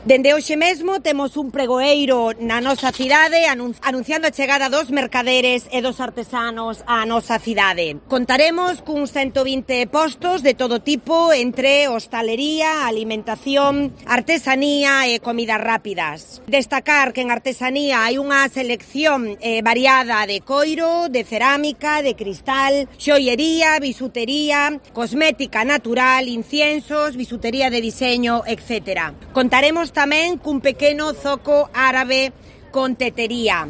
Dende hoxe mesmo temos un pregoeiro na nosa cidade anunciando a chegada dos mercaderes e dos artesanos á nosa cidade. Contaremos cuns 120 postos de todo tipo entre hostalería, alimentación, artesanía e comidas rápidas. Destacar que en artesanía hai unha selección variada de coiro, de cerámica, de cristal, xoiería, bisutería, cosmética natural, inciensos, bisutería de diseño, etc. Contaremos tamén cun pequeno zoco árabe con tetería.